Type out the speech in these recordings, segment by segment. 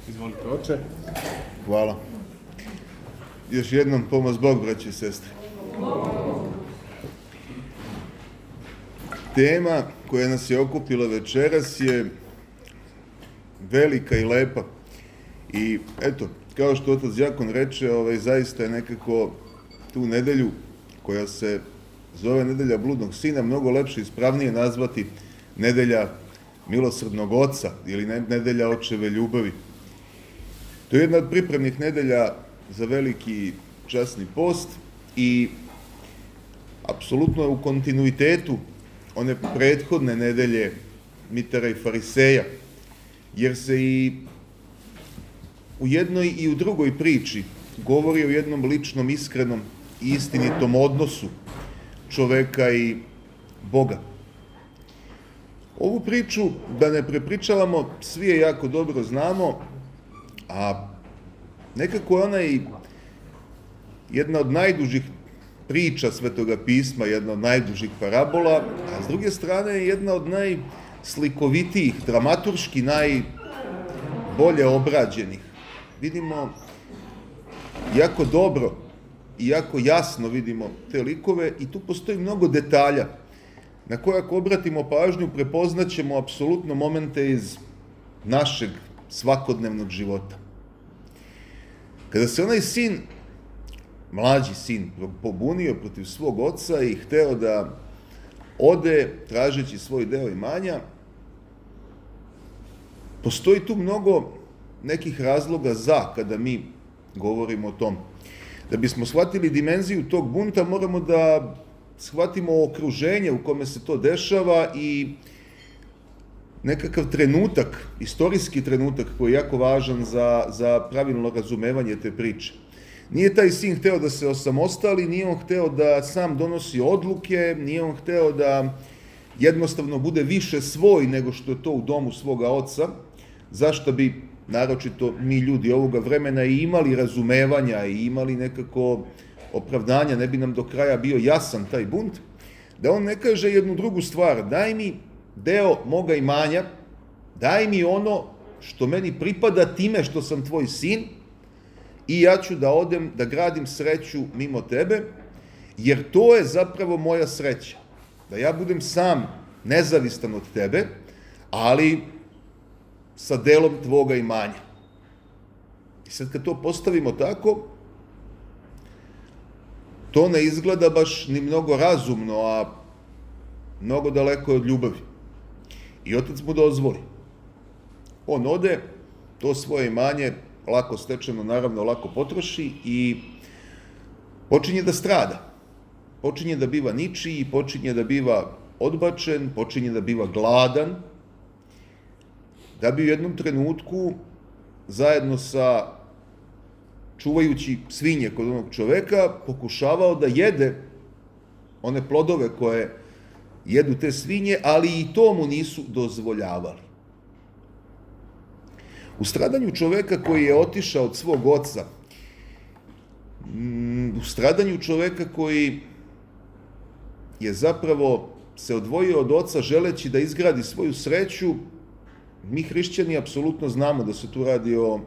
Izvolite, oče. Hvala. Još jednom pomoz Bog, braći i sestre. Tema koja nas je okupila večeras je velika i lepa. I eto, kao što otac Đakon reče, zaista je nekako tu nedelju koja se zove nedelja bludnog sina mnogo lepše i ispravnije nazvati nedelja milosrdnog oca ili nedelja očeve ljubavi. To je jedna od pripremnih nedelja za veliki časni post i apsolutno je u kontinuitetu one prethodne nedelje Mitara i Fariseja, jer se i u jednoj i u drugoj priči govori o jednom ličnom, iskrenom i istinitom odnosu čoveka i Boga. Ovu priču, da ne prepričavamo, svi je jako dobro znamo, a nekako je ona i jedna od najdužih priča Svetoga pisma, jedna od najdužih parabola, a s druge strane je jedna od najslikovitijih, dramaturški najbolje obrađenih. Vidimo jako dobro i jako jasno vidimo te likove i tu postoji mnogo detalja na koje ako obratimo pažnju prepoznaćemo apsolutno momente iz našeg svakodnevnog života. Kada se onaj sin, mlađi sin, pobunio protiv svog oca i hteo da ode tražeći svoj deo imanja, postoji tu mnogo nekih razloga za kada mi govorimo o tom. Da bismo shvatili dimenziju tog bunta, moramo da shvatimo okruženje u kome se to dešava i nekakav trenutak, istorijski trenutak koji je jako važan za pravilno razumevanje te priče. Nije taj sin hteo da se osamostali, nije on hteo da sam donosi odluke, nije on hteo da jednostavno bude više svoj nego što je to u domu svoga oca, zašto bi naročito mi ljudi ovoga vremena i imali razumevanja i imali nekako opravdanja, ne bi nam do kraja bio jasan taj bunt, da on ne kaže jednu drugu stvar, daj mi deo moga imanja, daj mi ono što meni pripada time što sam tvoj sin i ja ću da odem da gradim sreću mimo tebe, jer to je zapravo moja sreća. Da ja budem sam nezavistan od tebe, ali sa delom tvoga imanja. I sad kad to postavimo tako, to ne izgleda baš ni mnogo razumno, a mnogo daleko od ljubavi. I otac mu dozvoli. On ode, to svoje imanje, lako stečeno, naravno, lako potroši i počinje da strada. Počinje da biva ničiji, počinje da biva odbačen, počinje da biva gladan, da bi u jednom trenutku, zajedno sa čuvajući svinje kod onog čoveka, pokušavao da jede one plodove koje jedu te svinje, ali i to mu nisu dozvoljavali. U stradanju čoveka koji je otišao od svog oca, u stradanju čoveka koji je zapravo se odvojio od oca želeći da izgradi svoju sreću, mi hrišćani apsolutno znamo da se tu radi o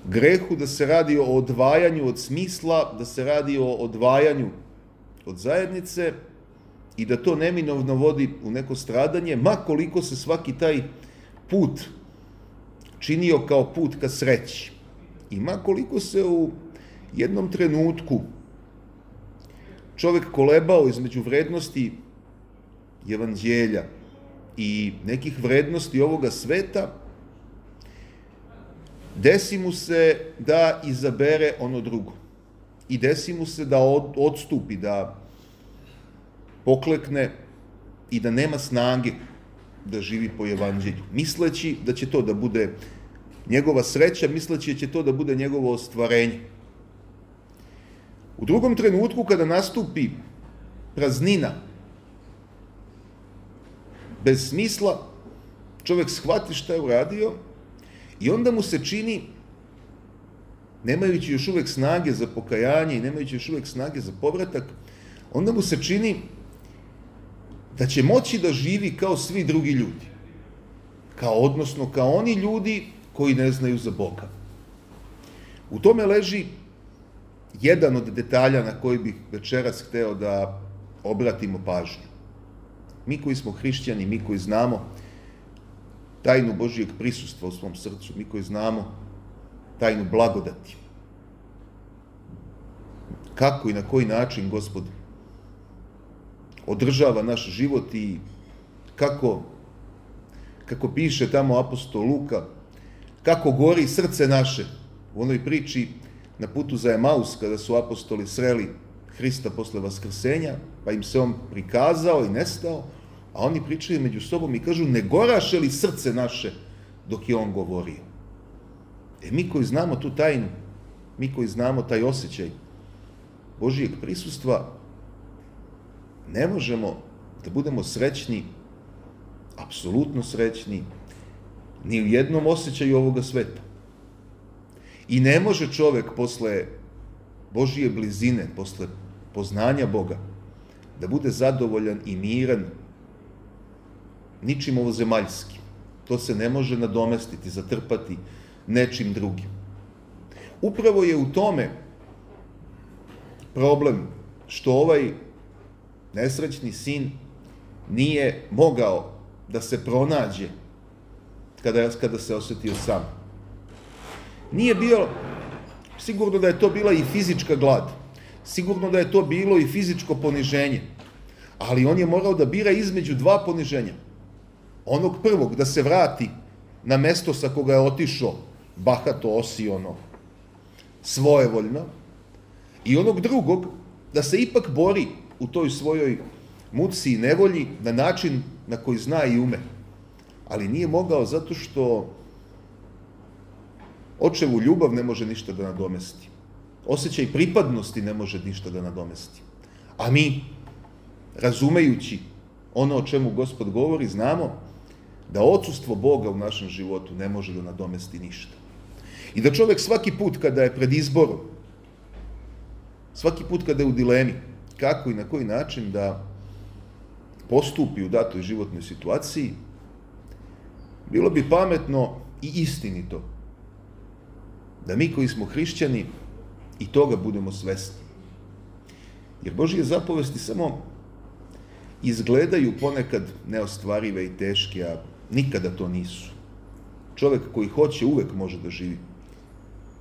grehu, da se radi o odvajanju od smisla, da se radi o odvajanju od zajednice i da to neminovno vodi u neko stradanje, ma koliko se svaki taj put činio kao put ka sreći. I ma koliko se u jednom trenutku čovek kolebao između vrednosti evanđelja i nekih vrednosti ovoga sveta, desi mu se da izabere ono drugo. I desi mu se da odstupi, da poklekne i da nema snage da živi po evanđelju, misleći da će to da bude njegova sreća, misleći da će to da bude njegovo ostvarenje. U drugom trenutku, kada nastupi praznina, bez smisla, čovek shvati šta je uradio i onda mu se čini, nemajući još uvek snage za pokajanje i nemajući još uvek snage za povratak, onda mu se čini da će moći da živi kao svi drugi ljudi. odnosno kao oni ljudi koji ne znaju za Boga. U tome leži jedan od detalja na koji bih večeras hteo da obratimo pažnju. Mi koji smo hrišćani, mi koji znamo tajnu Božijeg prisustva u svom srcu, mi koji znamo tajnu blagodati, kako i na koji način Gospod održava naš život i kako piše tamo apostol Luka, kako gori srce naše u onoj priči na putu za Emaus, kada su apostoli sreli Hrista posle vaskrsenja, pa im se on prikazao i nestao, a oni pričaju među sobom i kažu, ne goraše li srce naše dok je on govorio? Mi koji znamo tu tajnu, mi koji znamo taj osjećaj Božijeg prisustva, ne možemo da budemo srećni, apsolutno srećni, ni u jednom osjećaju ovoga sveta. I ne može čovek posle Božije blizine, posle poznanja Boga, da bude zadovoljan i miran ničim ovozemaljskim. To se ne može nadomestiti, zatrpati nečim drugim. Upravo je u tome problem što ovaj nesrećni sin nije mogao da se pronađe kada se osetio sam. Nije bio, sigurno da je to bila i fizička glad, sigurno da je to bilo i fizičko poniženje, ali on je morao da bira između dva poniženja. Onog prvog, da se vrati na mesto sa koga je otišao, bahato, osiono, svojevoljno, i onog drugog, da se ipak bori u toj svojoj muci i nevolji na način na koji zna i ume. Ali nije mogao zato što očevu ljubav ne može ništa da nadomesti. Osjećaj pripadnosti ne može ništa da nadomesti. A mi, razumejući ono o čemu Gospod govori, znamo da odsustvo Boga u našem životu ne može da nadomesti ništa. I da čovek svaki put kada je pred izborom, svaki put kada je u dilemi, kako i na koji način da postupi u datoj životnoj situaciji, bilo bi pametno i istinito da mi koji smo hrišćani i toga budemo svesni. Jer Božije zapovesti samo izgledaju ponekad neostvarive i teške, a nikada to nisu. Čovek koji hoće uvek može da živi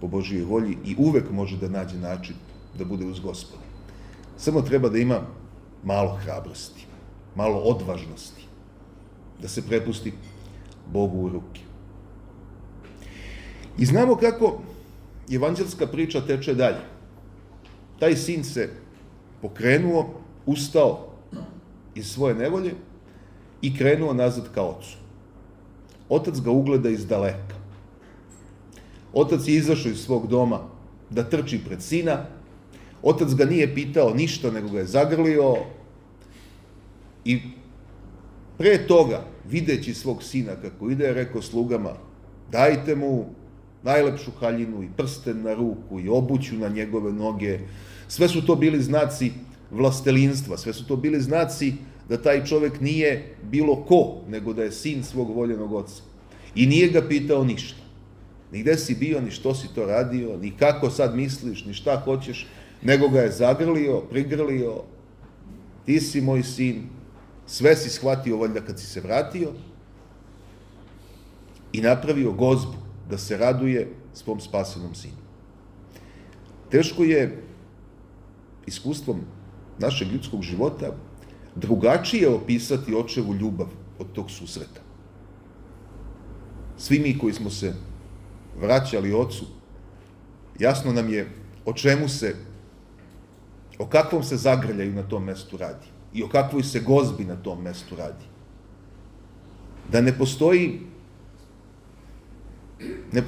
po Božijoj volji i uvek može da nađe način da bude uz Gospoda. Samo treba da ima malo hrabrosti, malo odvažnosti, da se prepusti Bogu u ruke. I znamo kako evanđelska priča teče dalje. Taj sin se pokrenuo, ustao iz svoje nevolje i krenuo nazad ka ocu. Otac ga ugleda iz daleka. Otac je izašao iz svog doma da trči pred sina. Otac ga nije pitao ništa, nego ga je zagrlio i pre toga, videći svog sina kako ide, je rekao slugama, dajte mu najlepšu haljinu i prsten na ruku i obuću na njegove noge. Sve su to bili znaci vlastelinstva, sve su to bili znaci da taj čovek nije bilo ko, nego da je sin svog voljenog oca. I nije ga pitao ništa. Ni gde si bio, ni što si to radio, ni kako sad misliš, ni šta hoćeš, nego ga je zagrlio, prigrlio, ti si moj sin, sve si shvatio valjda kad si se vratio i napravio gozbu da se raduje svom spasenom sinu. Teško je iskustvom našeg ljudskog života drugačije opisati očevu ljubav od tog susreta. Svi mi koji smo se vraćali ocu, jasno nam je o kakvom se zagrljaju na tom mestu radi i o kakvoj se gozbi na tom mestu radi. Da ne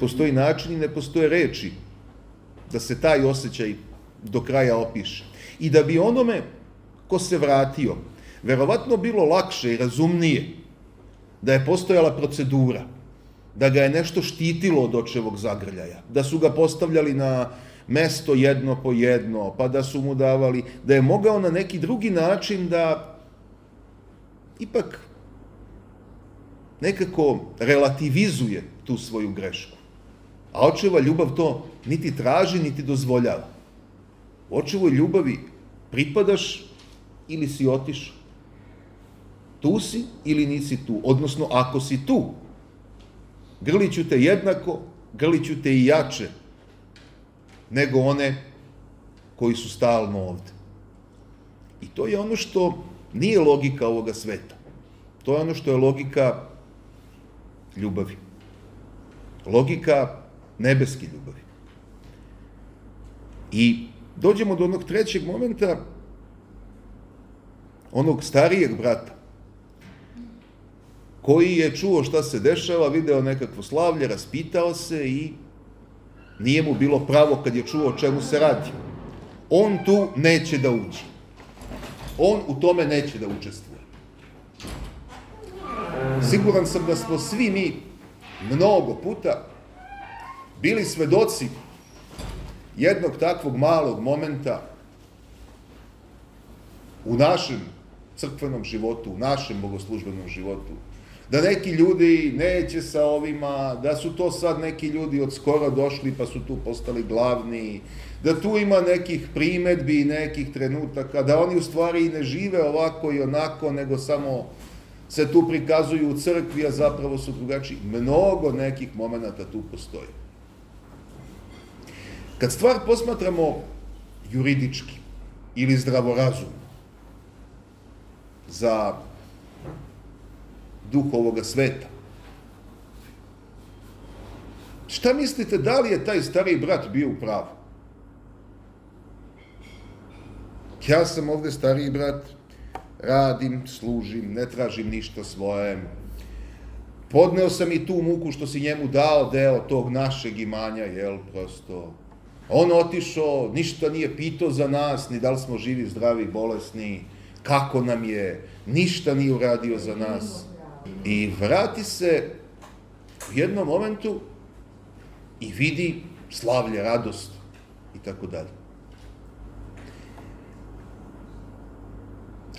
postoji način i ne postoje reči da se taj osjećaj do kraja opiše. I da bi onome ko se vratio, verovatno bilo lakše i razumnije da je postojala procedura, da ga je nešto štitilo od očevog zagrljaja, da su ga postavljali na mesto jedno po jedno, pa da su mu davali, da je mogao na neki drugi način da ipak nekako relativizuje tu svoju grešku. A očeva ljubav to niti traži, niti dozvoljava. U očevoj ljubavi pripadaš ili si otišao. Tu si ili nisi tu. Odnosno, ako si tu, grlit ću te jednako, grlit ću te i jače nego one koji su stalno ovde. I to je ono što nije logika ovoga sveta. To je ono što je logika ljubavi. Logika nebeske ljubavi. I dođemo do onog trećeg momenta, onog starijeg brata, koji je čuo šta se dešava, video nekakvo slavlje, raspitao se i nije mu bilo pravo kad je čuo o čemu se radi. On tu neće da uđe. On u tome neće da učestvuje. Siguran sam da smo svi mi mnogo puta bili svedoci jednog takvog malog momenta u našem crkvenom životu, u našem bogoslužbenom životu, da neki ljudi neće sa ovima, da su to sad neki ljudi od skoro došli pa su tu postali glavni, da tu ima nekih primetbi i nekih trenutaka, da oni u stvari i ne žive ovako i onako, nego samo se tu prikazuju u crkvi, a zapravo su drugačiji. Mnogo nekih momenata tu postoji. Kad stvar posmatramo juridički ili zdravorazumno, za duh ovoga sveta, šta mislite, da li je taj stariji brat bio u pravu? Ja sam ovde stariji brat, radim, služim, ne tražim ništa svoje. Podneo sam i tu muku što si njemu dao deo tog našeg imanja, jel, prosto. On otišao, ništa nije pitao za nas, ni da li smo živi, zdravi, bolesni, kako nam je, ništa nije uradio za nas. I vrati se u jednom momentu i vidi slavlje, radost i tako dalje.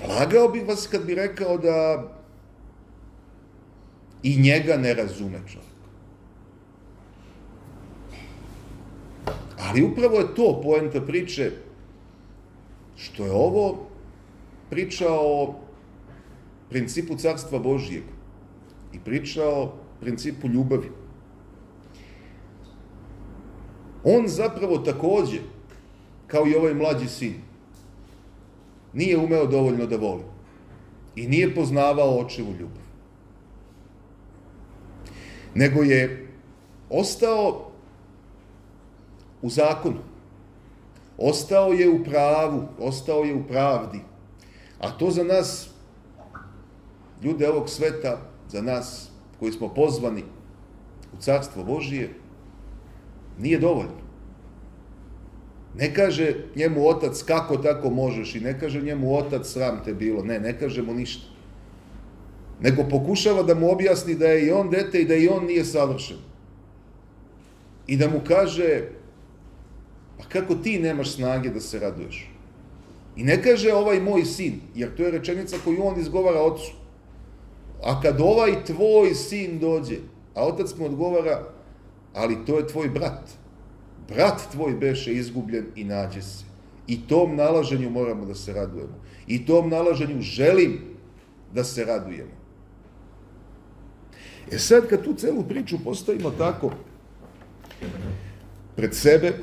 Lagao bih vas kad bi rekao da i njega ne razume čovjek. Ali upravo je to poenta priče, što je ovo priča o principu Carstva Božijeg i priča o principu ljubavi. On zapravo takođe, kao i ovaj mlađi sin, nije umeo dovoljno da voli i nije poznavao očevu ljubav. Nego je ostao u zakonu, ostao je u pravu, ostao je u pravdi, a to za nas, ljude ovog sveta, za nas koji smo pozvani u Carstvo Božije, nije dovoljno. Ne kaže njemu otac kako tako možeš i ne kaže njemu otac sram te bilo, ne kaže mu ništa. Nego pokušava da mu objasni da je i on dete i da i on nije savršen. I da mu kaže, pa kako ti nemaš snage da se raduješ? I ne kaže ovaj moj sin, jer to je rečenica koju on izgovara ocu. A kad ovaj tvoj sin dođe, a otac mu odgovara, ali to je tvoj brat. Brat tvoj beše izgubljen i nađe se. I tom nalaženju moramo da se radujemo. I tom nalaženju želim da se radujemo. Sad kad tu celu priču postavimo tako pred sebe,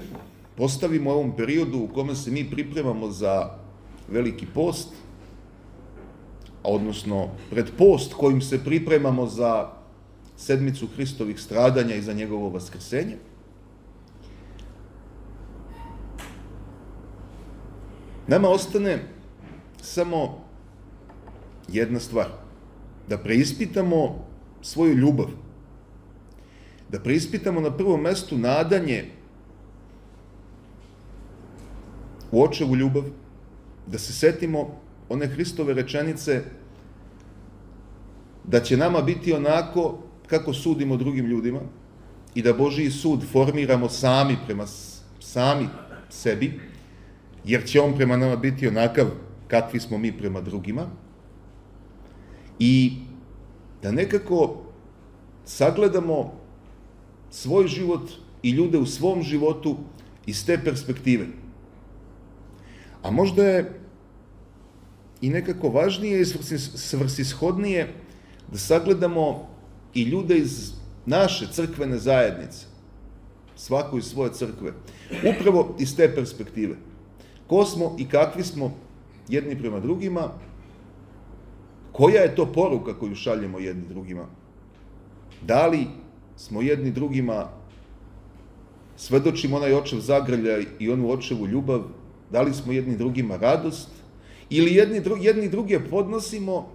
postavimo u ovom periodu u kome se mi pripremamo za Veliki post, odnosno pred post kojim se pripremamo za sedmicu Hristovih stradanja i za njegovo vaskrsenje, nama ostane samo jedna stvar, da preispitamo svoju ljubav, da preispitamo na prvom mestu nadanje u očevu ljubav, da se setimo one Hristove rečenice da će nama biti onako kako sudimo drugim ljudima i da Božiji sud formiramo sami prema sami sebi, jer će on prema nama biti onakav kakvi smo mi prema drugima, i da nekako sagledamo svoj život i ljude u svom životu iz te perspektive. A možda je i nekako važnije i svrsishodnije da sagledamo i ljude iz naše crkvene zajednice, svako iz svoje crkve, upravo iz te perspektive. Ko smo i kakvi smo jedni prema drugima, koja je to poruka koju šaljemo jedni drugima? Da li smo jedni drugima, svedočimo onaj očev zagrljaj i onu očevu ljubav, da li smo jedni drugima radost, ili jedni druge podnosimo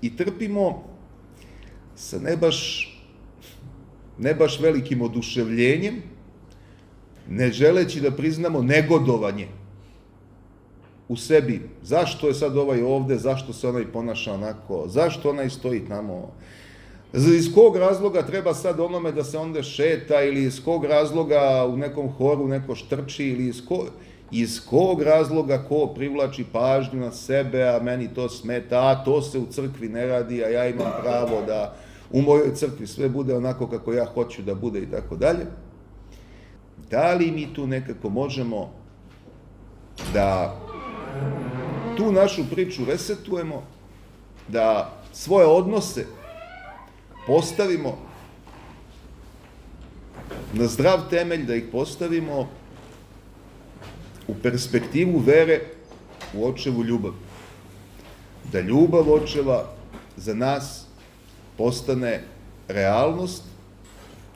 i trpimo sa ne baš velikim oduševljenjem, ne želeći da priznamo negodovanje u sebi. Zašto je sad ovaj ovde, zašto se onaj ponaša onako, zašto onaj stoji tamo, iz kog razloga treba sad onome da se onda šeta, ili iz kog razloga u nekom horu neko štrči, ili iz kog razloga ko privlači pažnju na sebe, a meni to smeta, a to se u crkvi ne radi, a ja imam pravo da u mojoj crkvi sve bude onako kako ja hoću da bude i tako dalje. Da li mi tu nekako možemo da tu našu priču resetujemo, da svoje odnose postavimo na zdrav temelj, da ih postavimo u perspektivu vere u očevu ljubav. Da ljubav očeva za nas postane realnost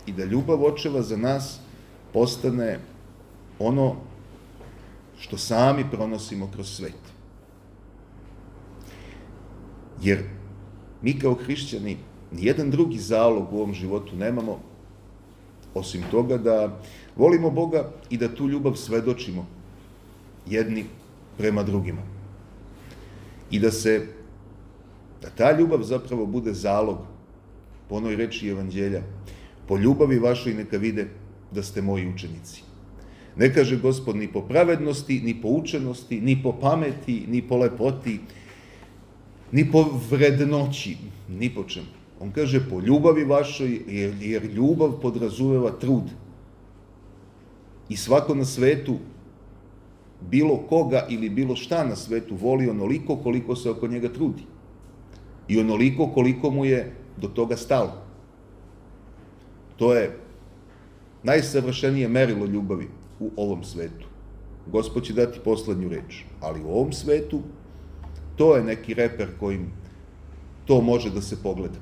i da ljubav očeva za nas postane ono što sami pronosimo kroz svet. Jer mi kao hrišćani nijedan drugi zalog u ovom životu nemamo, osim toga da volimo Boga i da tu ljubav svedočimo jedni prema drugima. I da ta ljubav zapravo bude zalog, po onoj reči Evanđelja, po ljubavi vašoj neka vide da ste moji učenici. Ne kaže Gospod ni po pravednosti, ni po učenosti, ni po pameti, ni po lepoti, ni po vrednoći, ni po čemu. On kaže po ljubavi vašoj, jer ljubav podrazumeva trud. I svako na svetu, bilo koga ili bilo šta na svetu, voli onoliko koliko se oko njega trudi. I onoliko koliko mu je do toga stalo. To je najsavršenije merilo ljubavi u ovom svetu. Gospod će dati poslednju reč, ali u ovom svetu to je neki reper kojim to može da se pogleda.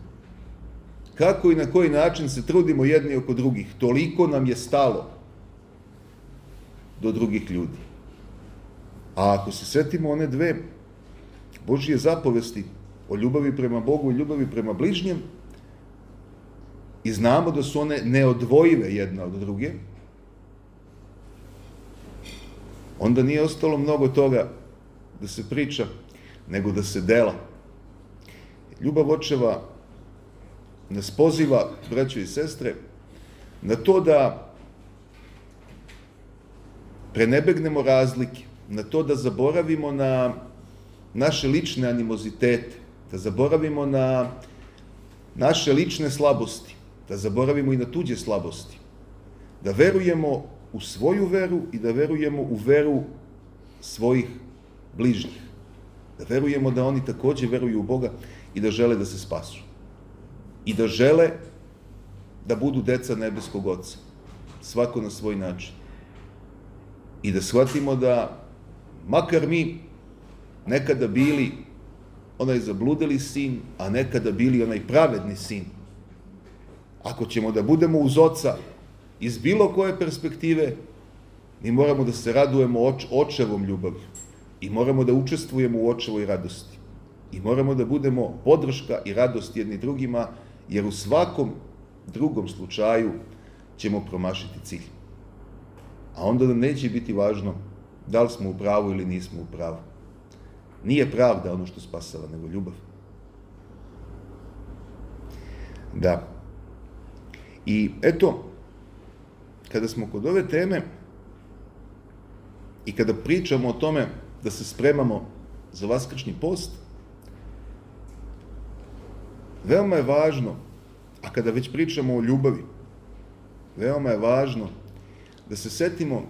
Kako i na koji način se trudimo jedni oko drugih, toliko nam je stalo do drugih ljudi. A ako se setimo one dve Božije zapovesti o ljubavi prema Bogu i ljubavi prema bližnjem i znamo da su one neodvojive jedna od druge, onda nije ostalo mnogo toga da se priča, nego da se dela. Ljubav očeva nas poziva, braćo i sestre, na to da prenebegnemo razlike, na to da zaboravimo na naše lične animozitete, da zaboravimo na naše lične slabosti, da zaboravimo i na tuđe slabosti, da verujemo u svoju veru i da verujemo u veru svojih bližnjih, da verujemo da oni takođe veruju u Boga i da žele da se spasu i da žele da budu deca nebeskog Oca, svako na svoj način. I da shvatimo da, makar mi nekada bili onaj zabludeli sin, a nekada bili onaj pravedni sin, ako ćemo da budemo uz Oca iz bilo koje perspektive, mi moramo da se radujemo očevom ljubavlju i moramo da učestvujemo u očevoj radosti i moramo da budemo podrška i radost jedni drugima, jer u svakom drugom slučaju ćemo promašiti cilj. A onda nam neće biti važno da li smo u pravu ili nismo u pravu. Nije pravda ono što spasava, nego ljubav. Da. I eto, kada smo kod ove teme i kada pričamo o tome da se spremamo za vaskršnji post, veoma je važno A kada već pričamo o ljubavi, veoma je važno da se setimo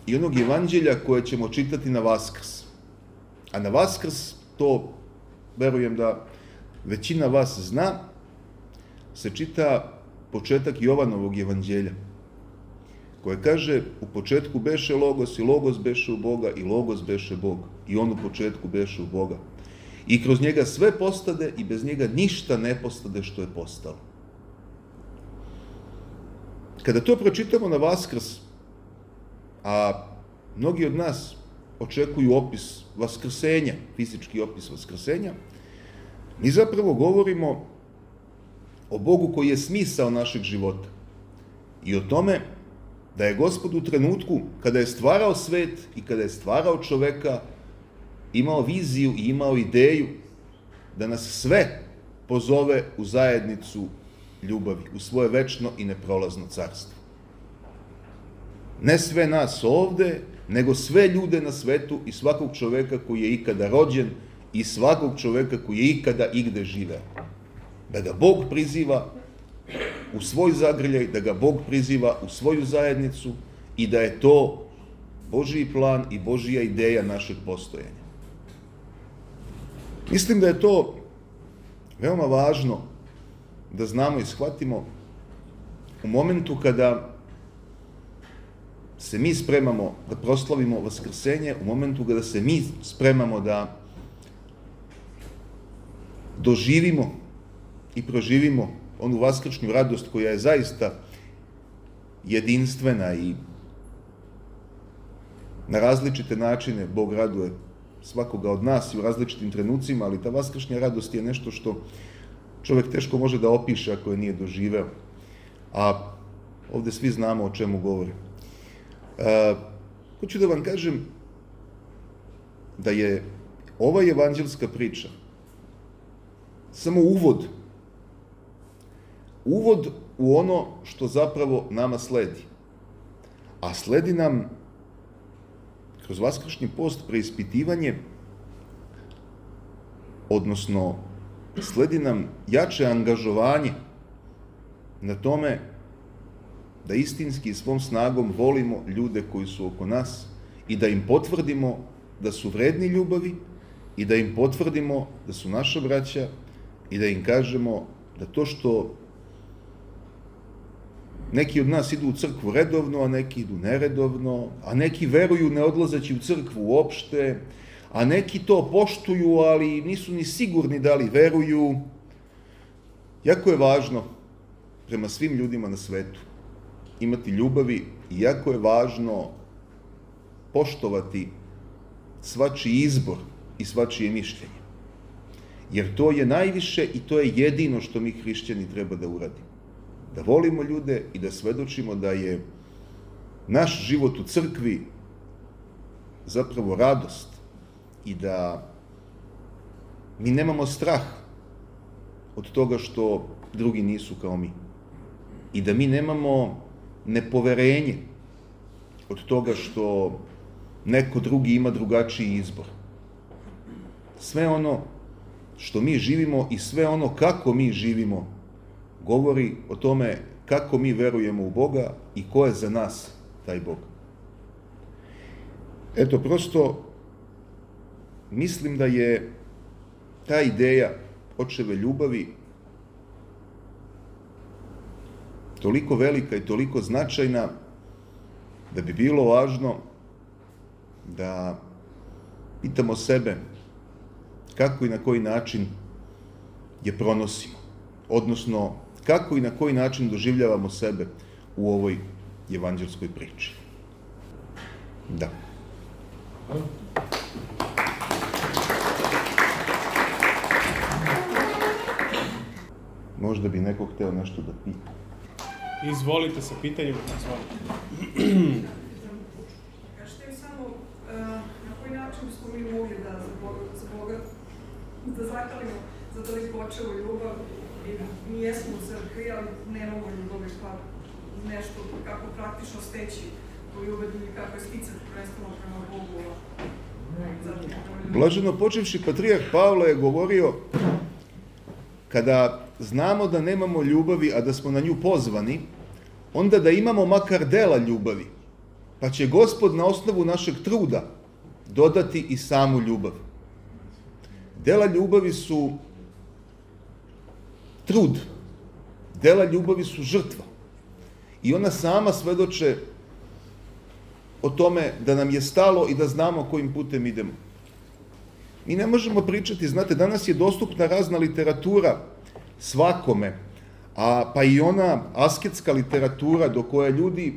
i onog evanđelja koje ćemo čitati na Vaskrs. A na Vaskrs, to verujem da većina vas zna, se čita početak Jovanovog evanđelja, koje kaže: u početku beše Logos i Logos beše u Boga i Logos beše Bog. I on u početku beše u Boga. I kroz njega sve postade i bez njega ništa ne postade što je postalo. Kada to pročitamo na Vaskrs, a mnogi od nas očekuju opis vaskrsenja, fizički opis vaskrsenja, mi zapravo govorimo o Bogu koji je smisao našeg života i o tome da je Gospod u trenutku kada je stvarao svet i kada je stvarao čoveka imao viziju i imao ideju da nas sve pozove u zajednicu ljubavi, u svoje večno i neprolazno carstvo. Ne sve nas ovde, nego sve ljude na svetu i svakog čoveka koji je ikada rođen i svakog čoveka koji je ikada igde živeo. Da ga Bog priziva u svoj zagrljaj, da ga Bog priziva u svoju zajednicu i da je to Božji plan i Božja ideja našeg postojanja. Mislim da je to veoma važno da znamo i shvatimo u momentu kada se mi spremamo da proslavimo Vaskrsenje, u momentu kada se mi spremamo da doživimo i proživimo onu vaskršnju radost koja je zaista jedinstvena i na različite načine Bog raduje svakoga od nas i u različitim trenucima, ali ta vaskršnja radost je nešto što čovjek teško može da opiše ako je nije doživeo. A ovde svi znamo o čemu govorim. Hoću da vam kažem da je ova evanđelska priča samo uvod u ono što zapravo nama sledi. A sledi nam kroz vaskršnji post preispitivanje, odnosno sledi nam jače angažovanje na tome da istinski svom snagom volimo ljude koji su oko nas i da im potvrdimo da su vredni ljubavi i da im potvrdimo da su naša braća i da im kažemo da to što neki od nas idu u crkvu redovno, a neki idu neredovno, a neki veruju ne odlazeći u crkvu uopšte, a neki to poštuju, ali nisu ni sigurni da li veruju. Jako je važno prema svim ljudima na svetu imati ljubavi i jako je važno poštovati svačiji izbor i svačije mišljenje. Jer to je najviše i to je jedino što mi hrišćani treba da uradimo. Da volimo ljude i da svedočimo da je naš život u crkvi zapravo radost i da mi nemamo strah od toga što drugi nisu kao mi. I da mi nemamo nepoverenje od toga što neko drugi ima drugačiji izbor. Sve ono što mi živimo i sve ono kako mi živimo govori o tome kako mi verujemo u Boga i ko je za nas taj Bog. Eto, prosto mislim da je ta ideja očeve ljubavi toliko velika i toliko značajna da bi bilo važno da pitamo sebe kako i na koji način je pronosimo, odnosno kako i na koji način doživljavamo sebe u ovoj evanđelskoj priči. Da. Možda bi neko hteo nešto da pita. Izvolite sa pitanjem. Kažete mi samo na koji način smo mi mogli da za Boga da zakalimo za toliko očevu ljubav i mi jesmo u crkvi, ali nemamo ljubav pa nešto kako praktično steći tu ljubav ili kako je sticati prvenstveno prema Bogu. Blaženo počevši patrijarh Pavle je govorio kada znamo da nemamo ljubavi, a da smo na nju pozvani, onda da imamo makar dela ljubavi, pa će Gospod na osnovu našeg truda dodati i samu ljubav. Dela ljubavi su trud, dela ljubavi su žrtva i ona sama svedoče o tome da nam je stalo i da znamo kojim putem idemo. Mi ne možemo pričati, znate, danas je dostupna razna literatura svakome, pa i ona asketska literatura do koje ljudi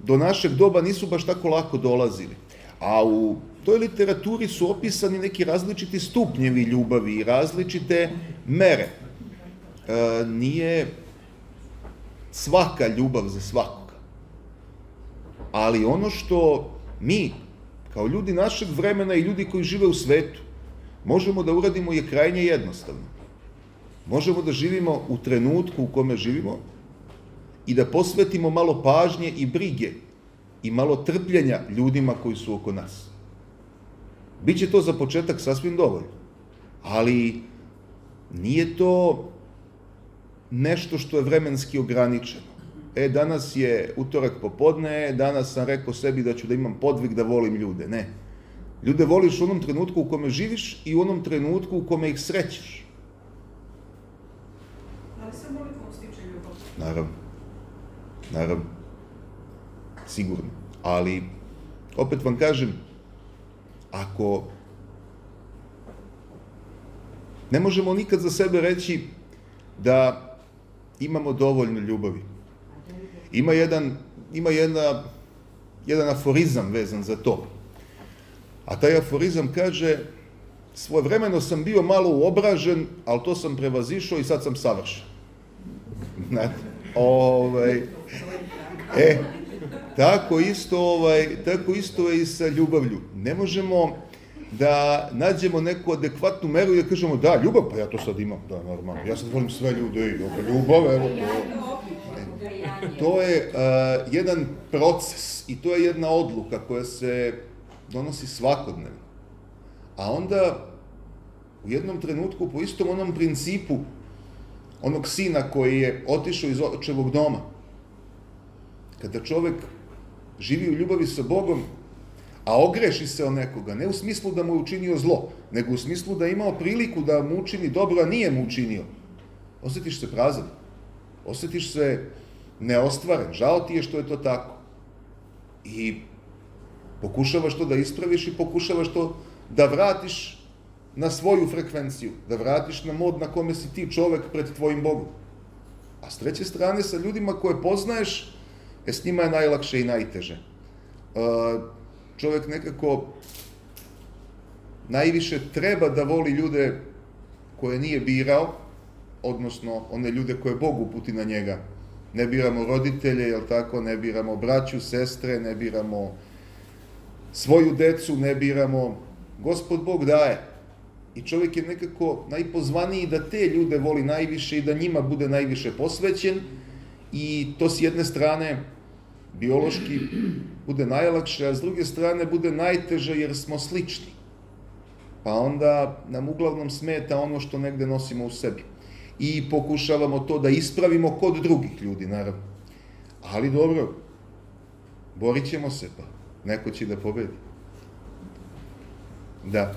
do našeg doba nisu baš tako lako dolazili. A u toj literaturi su opisani neki različiti stupnjevi ljubavi i različite mere. Nije svaka ljubav za svakoga. Ali ono što mi, kao ljudi našeg vremena i ljudi koji žive u svetu, možemo da uradimo je krajnje jednostavno. Možemo da živimo u trenutku u kome živimo i da posvetimo malo pažnje i brige i malo trpljenja ljudima koji su oko nas. Biće to za početak sasvim dovoljno, ali nije to nešto što je vremenski ograničeno. Danas je utorak popodne, danas sam rekao sebi da ću da imam podvig da volim ljude. Ne. Ljude voliš u onom trenutku u kome živiš i u onom trenutku u kome ih srećeš. Da li se molitvom stiče ljubav? Naravno. Sigurno. Ali, opet vam kažem, ako ne možemo nikad za sebe reći da imamo dovoljno ljubavi. Ima jedan aforizam vezan za to. A taj aforizam kaže: svojevremeno sam bio malo uobražen, ali to sam prevazišao i sad sam savršen. Znate? Tako isto je i sa ljubavlju. Ne možemo da nađemo neku adekvatnu meru i da kažemo da, ljubav, pa ja to sad imam, da, normalno. Ja sad volim sve ljude, ljubav, evo to. To je jedan proces i to je jedna odluka koja se donosi svakodnevno. A onda u jednom trenutku po istom onom principu onog sina koji je otišao iz očevog doma, kada čovek živi u ljubavi sa Bogom, a ogreši se o nekoga, ne u smislu da mu je učinio zlo, nego u smislu da je imao priliku da mu učini dobro, a nije mu učinio, osjetiš se prazan, osjetiš se neostvaren, žao ti je što je to tako. I pokušavaš to da ispraviš i pokušavaš to da vratiš na svoju frekvenciju, da vratiš na mod na kome si ti čovek pred tvojim Bogom. A s treće strane, sa ljudima koje poznaješ, s njima je najlakše i najteže. Čovek nekako najviše treba da voli ljude koje nije birao, odnosno one ljude koje Bog uputi na njega. Ne biramo roditelje, jel tako, ne biramo braću, sestre, ne biramo svoju decu, ne biramo. Gospod Bog daje. I čovjek je nekako najpozvaniji da te ljude voli najviše i da njima bude najviše posvećen i to s jedne strane biološki bude najlakše, a s druge strane bude najteže jer smo slični. Pa onda nam uglavnom smeta ono što negde nosimo u sebi. I pokušavamo to da ispravimo kod drugih ljudi, naravno. Ali dobro, borit ćemo se pa. Neko će da pobedi. Da.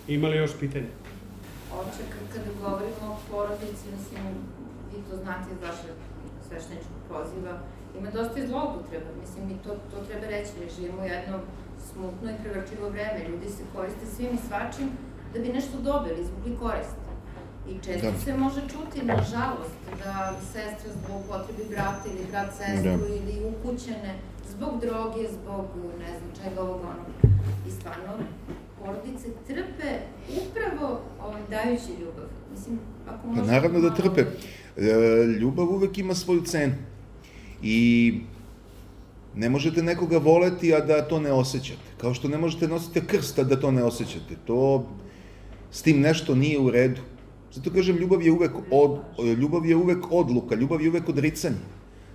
Ima li još pitanja? Oče, kada govorimo o porodici, mislim, vi to znate iz vašeg svešteničkog poziva, ima dosta i zloupotreba, mislim, i to treba reći, mi živimo u jedno smutno i prevrčivo vreme, ljudi se koriste svim i svačim da bi nešto dobili, izvukli korist. I često se može čuti, nažalost, da sestra zloupotrebi brata ili brat sestru ili ukućene zbog droge, zbog ne znam čega ovog onog. I stvarno, porodice trpe upravo dajući ljubav. Mislim, ako možete... Pa naravno da trpe. Ljubav uvek ima svoju cenu. I ne možete nekoga voleti, a da to ne osjećate. Kao što ne možete nositi krst, a da to ne osjećate. To s tim nešto nije u redu. Zato kažem, ljubav je uvek odluka, ljubav je uvek odricanje.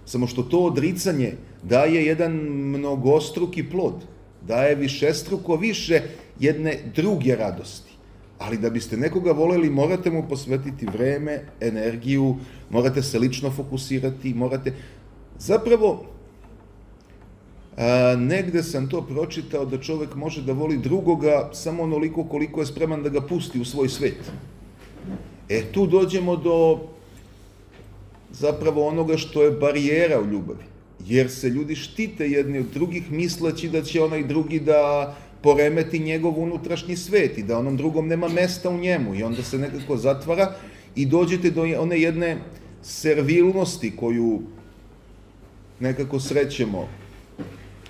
Samo što to odricanje daje jedan mnogostruki plod, daje višestruko više jedne druge radosti. Ali da biste nekoga voleli, morate mu posvetiti vreme, energiju, morate se lično fokusirati, morate... Zapravo, negde sam to pročitao da čovek može da voli drugoga samo onoliko koliko je spreman da ga pusti u svoj svet. Tu dođemo do zapravo onoga što je barijera u ljubavi. Jer se ljudi štite jedni od drugih misleći da će onaj drugi da poremeti njegov unutrašnji svet i da onom drugom nema mesta u njemu i onda se nekako zatvara i dođete do one jedne servilnosti koju nekako srećemo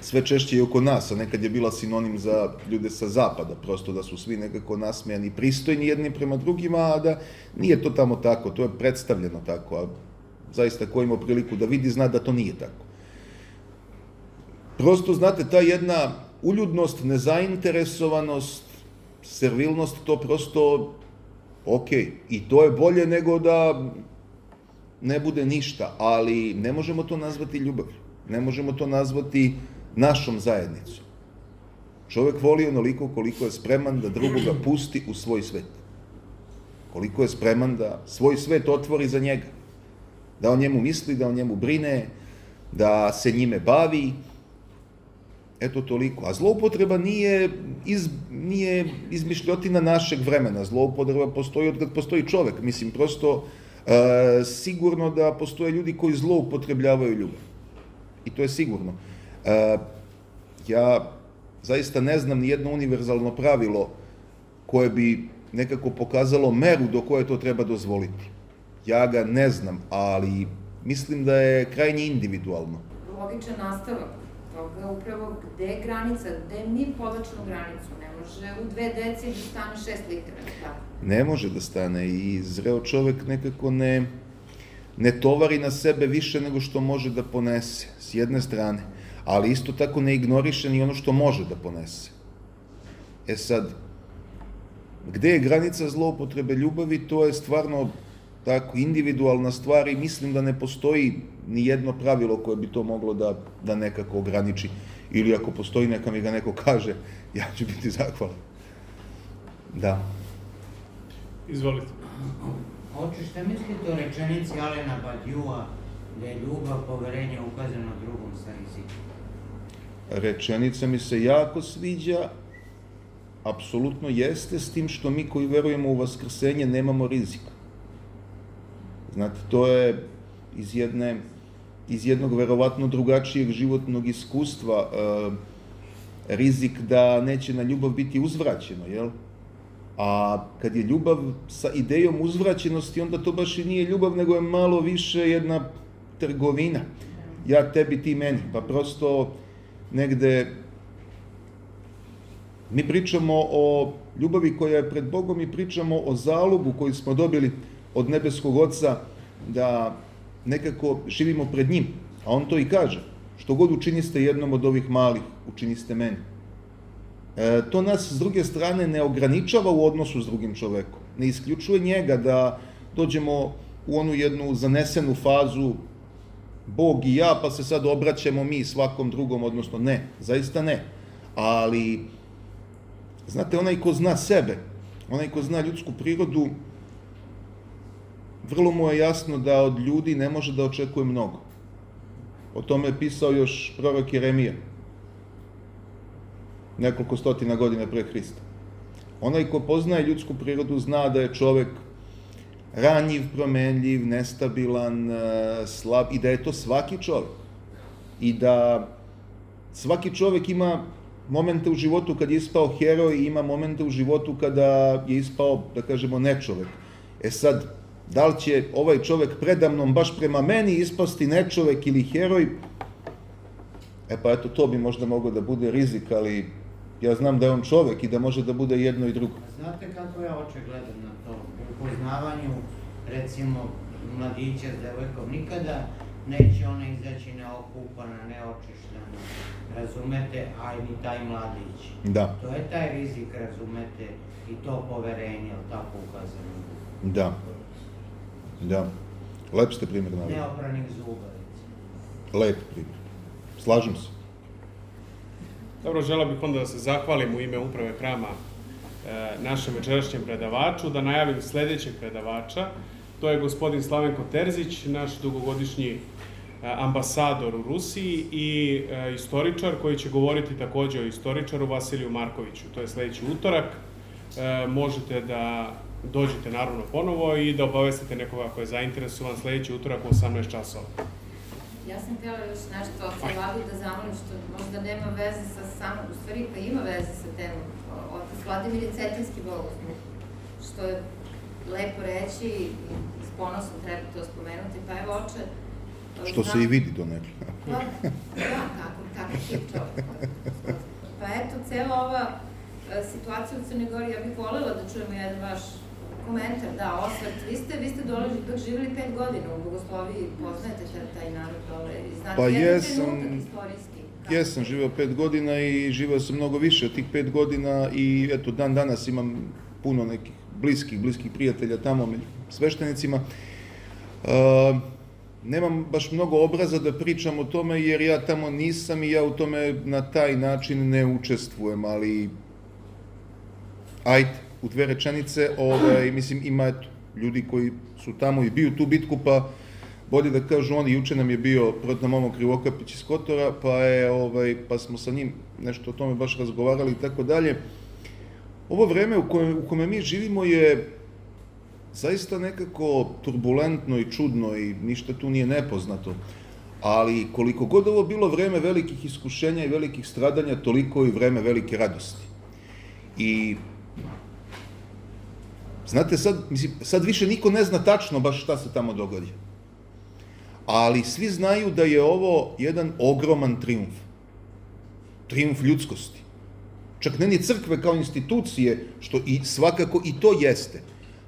sve češće i oko nas, a nekad je bila sinonim za ljude sa zapada, prosto da su svi nekako nasmejani, pristojni jedni prema drugima, a da nije to tamo tako, to je predstavljeno tako, a zaista ko ima priliku da vidi zna da to nije tako. Prosto, znate, ta jedna uljudnost, nezainteresovanost, servilnost, to prosto, i to je bolje nego da ne bude ništa, ali ne možemo to nazvati ljubavlju, ne možemo to nazvati našom zajednicom. Čovek voli onoliko koliko je spreman da drugoga pusti u svoj svet. Koliko je spreman da svoj svet otvori za njega. Da o njemu misli, da o njemu brine, da se njime bavi. Eto toliko. A zloupotreba nije izmišljotina našeg vremena. Zloupotreba postoji od kad postoji čovek. Mislim, prosto sigurno da postoje ljudi koji zloupotrebljavaju ljubav. I to je sigurno. Ja zaista ne znam ni jedno univerzalno pravilo koje bi nekako pokazalo meru do koje to treba dozvoliti. Ja ga ne znam, ali mislim da je krajnje individualno. Logičan nastavak toga upravo gde je granica, gde mi povlačimo granicu. Ne može u 2 deci da stane 6 litara, tako? Ne može da stane i zreo čovek nekako ne tovari na sebe više nego što može da ponese, s jedne strane, ali isto tako ne ignoriše ni ono što može da ponese. Sad, gde je granica zloupotrebe ljubavi, to je stvarno tako individualna stvar i mislim da ne postoji ni jedno pravilo koje bi to moglo da nekako ograniči. Ili ako postoji, neka mi ga neko kaže, ja ću biti zahvalan. Da. Izvolite. Oče, šta mislite o rečenici Alena Badiua da je ljubav, poverenje ukazano drugom sa rizikom? Rečenica mi se jako sviđa, apsolutno jeste, s tim što mi koji verujemo u vaskrsenje nemamo rizika. Znate, to je iz jednog verovatno drugačijeg životnog iskustva rizik da neće na ljubav biti uzvraćeno, jel? A kad je ljubav sa idejom uzvraćenosti, onda to baš i nije ljubav, nego je malo više jedna trgovina. Ja tebi, ti meni. Pa prosto negde mi pričamo o ljubavi koja je pred Bogom i pričamo o zalogu koji smo dobili od nebeskog Oca da nekako živimo pred njim. A on to i kaže. Što god učiniste jednom od ovih malih, učiniste meni. To nas s druge strane ne ograničava u odnosu s drugim čovekom. Ne isključuje njega da dođemo u onu jednu zanesenu fazu Bog i ja, pa se sad obraćamo mi svakom drugom, odnosno ne, zaista ne. Ali, znate, onaj ko zna sebe, onaj ko zna ljudsku prirodu, vrlo mu je jasno da od ljudi ne može da očekuje mnogo. O tome je pisao još prorok Jeremija, nekoliko stotina godina pre Hrista. Onaj ko poznaje ljudsku prirodu zna da je čovek ranjiv, promenljiv, nestabilan, slab i da je to svaki čovek. I da svaki čovek ima momente u životu kad je ispao heroj i ima momente u životu kada je ispao, da kažemo, nečovek. Sad, da li će ovaj čovek predamnom baš prema meni ispasti nečovek ili heroj? Pa eto, to bi možda moglo da bude rizik, ali ja znam da je on čovek i da može da bude jedno i drugo. Znate kako ja oče gledam na to? U poznavanju, recimo, mladića s devojkom, nikada neće ona izaći neokupana, neočištana, razumete, a ni taj mladić. Da. To je taj rizik, razumete, i to poverenje, tako ukazano. Da. Da. Lep ste primjer naveli. Neopranih zuba, recimo. Lep primjer. Slažem se. Dobro, želeo bih onda da se zahvalim u ime uprave hrama našem večerašnjem predavaču, da najavim sledećeg predavača. To je gospodin Slavenko Terzić, naš dugogodišnji ambasador u Rusiji i istoričar koji će govoriti takođe o istoričaru Vasiliju Markoviću. To je sledeći utorak. Možete da dođete naravno ponovo i da obavestite nekoga ko je zainteresovan sledeći utorak u 18 časova. Ja sam htjela još nešto od Vladu da zamolim, što možda nema veze sa samom, u stvari pa ima veze sa temom. Otac Vladimir je cetinski bogosluh, što je lepo reći i s ponosom treba to spomenuti. Pa evo, oče... Što se i vidi donekle. Pa, da, tako tip čovjek. Pa eto, cela ova situacija u Crnoj Gori, ja bih voljela da čujemo jedan vaš komentar, da, osvrt. Vi ste dok živjeli 5 godina u Bogosloviji, poznajete taj narod dole i znate jedan trenutak istorijski. Jesam živeo 5 godina i živeo sam mnogo više od tih 5 godina i eto, dan danas imam puno nekih bliskih prijatelja tamo među sveštenicima. Nemam baš mnogo obraza da pričam o tome jer ja tamo nisam i ja u tome na taj način ne učestvujem, ali ajde, u 2 rečenice, mislim, ima ljudi koji su tamo i biju tu bitku, pa bolje da kažu oni, juče nam je bio protiv Momo Krivokapić iz Kotora, pa smo sa njim nešto o tome baš razgovarali i tako dalje. Ovo vreme u kome mi živimo je zaista nekako turbulentno i čudno i ništa tu nije nepoznato, ali koliko god ovo bilo vreme velikih iskušenja i velikih stradanja, toliko i vreme velike radosti. I znate, sad više niko ne zna tačno baš šta se tamo događa. Ali svi znaju da je ovo jedan ogroman trijumf. Trijumf ljudskosti. Čak ne ni crkve kao institucije, što i svakako i to jeste,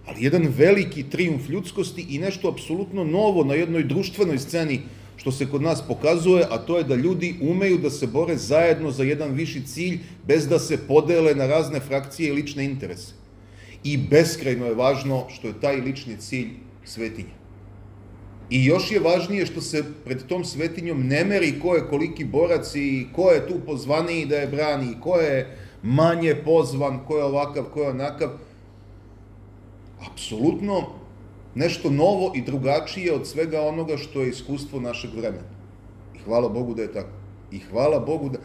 ali jedan veliki trijumf ljudskosti i nešto apsolutno novo na jednoj društvenoj sceni što se kod nas pokazuje, a to je da ljudi umeju da se bore zajedno za jedan viši cilj bez da se podele na razne frakcije i lične interese. I beskrajno je važno što je taj lični cilj svetinja. I još je važnije što se pred tom svetinjom ne meri ko je koliki borac i ko je tu pozvaniji da je brani, ko je manje pozvan, ko je ovakav, ko je onakav. Apsolutno nešto novo i drugačije od svega onoga što je iskustvo našeg vremena. I hvala Bogu da je tako. I hvala Bogu da...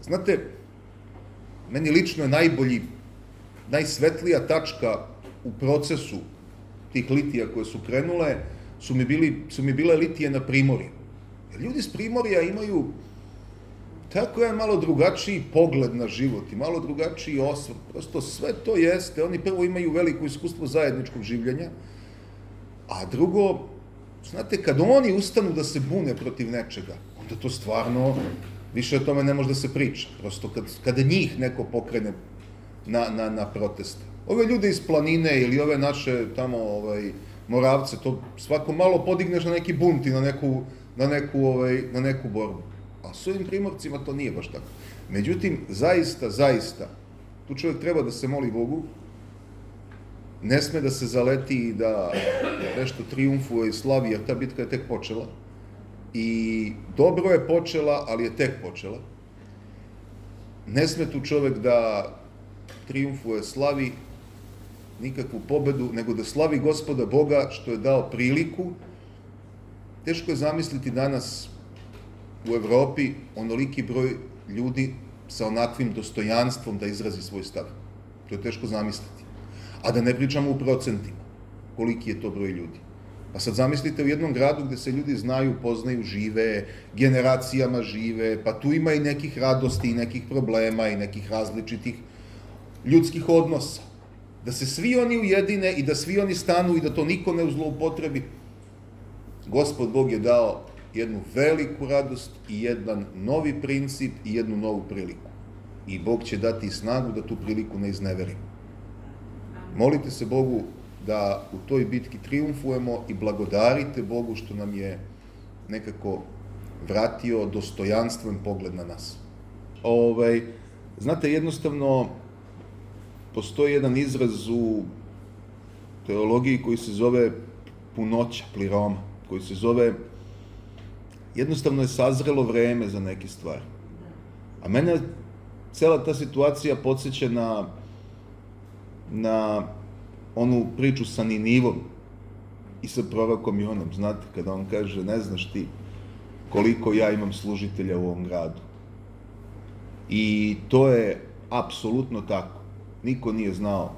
Znate, meni lično je najsvetlija tačka u procesu tih litija koje su krenule, su mi bile litije na Primorju. Jer ljudi s Primorja imaju tako jedan malo drugačiji pogled na život i malo drugačiji osvrt. Prosto sve to jeste. Oni prvo imaju veliko iskustvo zajedničkog življenja, a drugo, znate, kad oni ustanu da se bune protiv nečega, onda to stvarno, više o tome ne može da se priča. Prosto kada njih neko pokrene na proteste. Ove ljude iz planine ili ove naše tamo Moravce, to svako malo podigneš na neki bunt i na neku borbu. A s ovim Primorcima to nije baš tako. Međutim, zaista, tu čovjek treba da se moli Bogu, ne sme da se zaleti i da nešto trijumfuje i slavi, jer ta bitka je tek počela. I dobro je počela, ali je tek počela. Ne sme tu čovjek da trijumfuje, slavi nikakvu pobedu, nego da slavi Gospoda Boga što je dao priliku. Teško je zamisliti danas u Evropi onoliki broj ljudi sa onakvim dostojanstvom da izrazi svoj stav. To je teško zamisliti. A da ne pričamo u procentima, koliki je to broj ljudi. Pa sad zamislite u jednom gradu gde se ljudi znaju, poznaju, žive, generacijama žive, pa tu ima i nekih radosti, i nekih problema, i nekih različitih ljudskih odnosa. Da se svi oni ujedine i da svi oni stanu i da to niko ne zloupotrebi. Gospod Bog je dao jednu veliku radost i jedan novi princip i jednu novu priliku. I Bog će dati snagu da tu priliku ne izneverimo. Molite se Bogu da u toj bitki trijumfujemo i blagodarite Bogu što nam je nekako vratio dostojanstven pogled na nas. Znate, jednostavno postoji jedan izraz u teologiji koji se zove punoća, pliroma, koji se zove jednostavno je sazrelo vreme za neke stvari. A mene cela ta situacija podsjeća na na onu priču sa Ninivom i sa prorokom Jonom, znate, kada on kaže, ne znaš ti koliko ja imam služitelja u ovom gradu. I to je apsolutno tako. Niko nije znao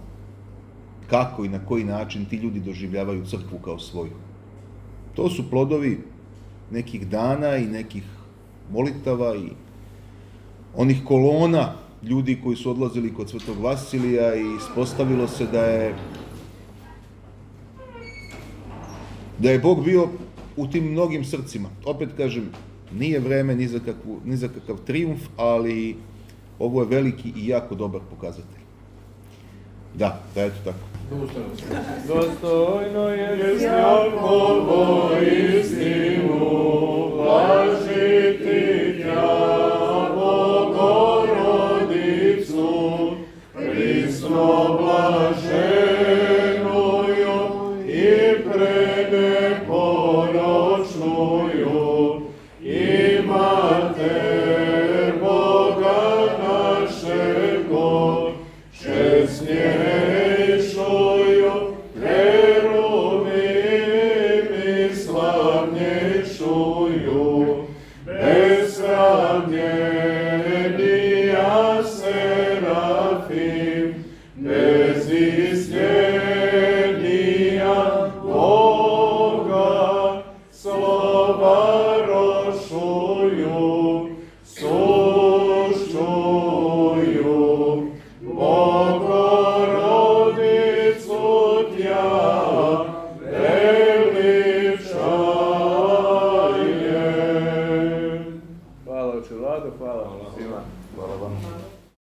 kako i na koji način ti ljudi doživljavaju crkvu kao svoju. To su plodovi nekih dana i nekih molitava i onih kolona ljudi koji su odlazili kod Svetog Vasilija i ispostavilo se da je Bog bio u tim mnogim srcima. Opet kažem, nije vreme ni za kakav trijumf, ali ovo je veliki i jako dobar pokazatelj. Da, eto tako. Dostojno je Jakovo istinu blažiti tja, Bogorodicu, prisno blaženuju i preneporočnuju, i Mater Boga našego, česnjejšuju, kerubim i slavnjejšuju.